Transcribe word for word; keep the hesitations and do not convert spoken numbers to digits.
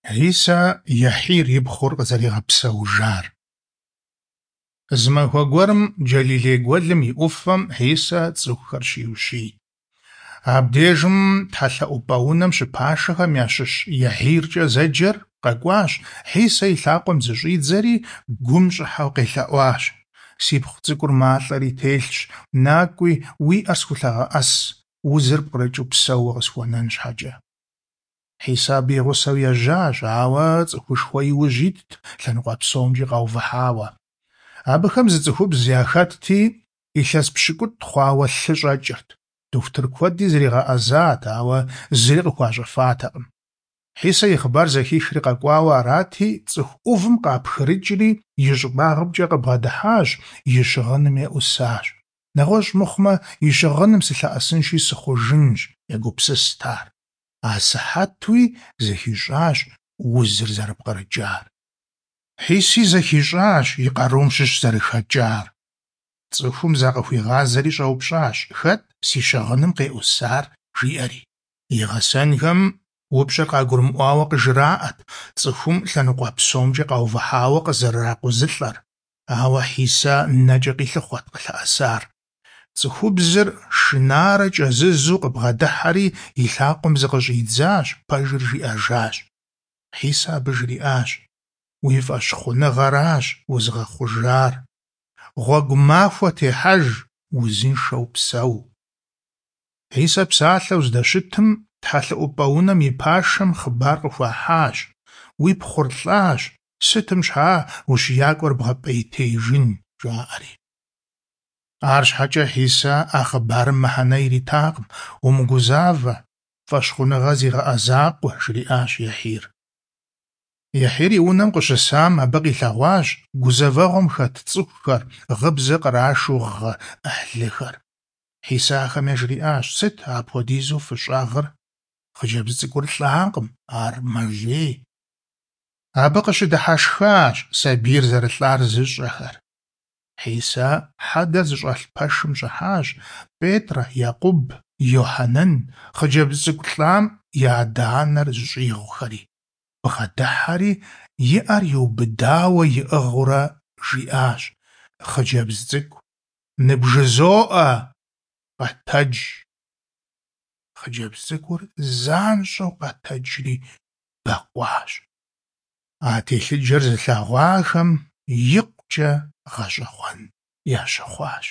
Хьисэ Ехьир и пхъур къызэригъэпсэужар. Зы махуэ гуэрым Джэлилей гуэлым и ӏуфэм Хьисэ цӏыхухэр щиущийт. Абдежым тхьэлъэӏупӏэ унэм щыпашэхэм ящыщ Ехьиркӏэ зэджэр къэкӏуащ, Хьисэ и лъакъуэм зыщӏидзэри, гум щӏыхьэу къелъэӏуащ: «Сипхъу цӏыкӏур малӏэри телъщ, накӏуи, уи ӏэр схулъэгъэӏэс, узыр пкърыкӏыу псэууэ къысхуэнэн щхьэкӏэ». Хьисэ абы и гъусэу ежьащ, ауэ цӏыхушхуэ и ужь итт, лъэныкъуэ псомкӏи къаувыхьауэ. Абыхэм зы цӏыхубз яхэтти, илъэс пщыкӏутӏ хъуауэ лъы щӏэкӏырт. Дохутыр куэди зригъэӏэзат, ауэ зыри къыхуащӏэфатэкъым. Хьисэ и хъыбар зэхихри къэкӏуауэ арати, цӏыху ӏувым къапхрыкӏри и щӏыбагъымкӏэ къыбгъэдыхьащ, и щыгъыным еӏусащ. Нэгъуэщӏ мыхъумэ, и щыгъыным сылъэӏэсынщи сыхъужынщ, егупсыст ар. Асыхьэтуи зыхищӏащ узыр зэрыпкърыкӏар. Хьиси зэхищӏащ и къарум щыщ зэрыхэкӏар. Цӏыхум закъыхуигъазэри щӏэупщӏащ: «Хэт си щыгъыным къеӏусар?» жиӏэри. И гъэсэнхэм упщӏэр къагурымыӏуауэ къыжраӏэт, цӏыхум лъэныкъуэ псомкӏи къаувыхьауэ къызэрыракъузылӏэр. Ауэ Хьисэ нэкӏэ къилъыхъуэт къылъэӏэсар. Цӏыхубзыр шынарэ кӏэзызу къыбгъэдыхьэри и лъакъуэм зыкъыщӏидзащ, пэжыр жиӏэжащ. Хьисэ абы жриӏащ: «Уи фӏэщхъуныгъэращ узыгъэхъужар. Гъуэгу махуэ техьэж, узыншэу псэу». Хьисэ псалъэу здэщытым, тхьэлъэӏупӏэ унэм и пашэм хъыбар къыхуахьащ: «Уи пхъур лӏащ, сытым щхьа ущиякӏуэр бгъэпӏейтеижын?» жаӏэри. Арщхьэкӏэ Хьисэ а хъыбарым мыхьэнэ иритакъым: «Умыгузавэ, фӏэщхъуныгъэ зигъэӏэ закъуэ», жриӏащ Ехьир. Ехьир и унэм къыщысам абы къилъэгъуащ гузэвэгъуэм хэт цӏыхухэр, гъыбзэ кърашу гъы ӏыхьлыхэр. Хьисэ ахэм яжриӏащ: «Сыт апхуэдизу фыщӏэгъыр? Хъыджэбз цӏыкӏур лӏакъым, ар мэлей». Абы къыщыдыхьэшхащ сабийр зэрылӏар зыщӏэхэр. Хьисэ хьэдэр зыщӏэлъ пэшым щӏыхьащ, Петр, Екъуб, Йохьэнэн, хъыджэбз цӏыкӏу лӏам и адэ-анэр зыщӏигъухэри. Бгъэдыхьэри, и ӏэр иубыдауэ иӏыгъыурэ жиӏащ: «Хъыджэбз цӏыкӏу, ныбжызоӏэ, къэтэдж!» Хъыджэбз цӏыкӏур занщӏэу къэтэджри бэкъуащ. А телъыджэр зылъэгъуахэм икъукӏэ гъэщӏэгъуэн ящыхъуащ.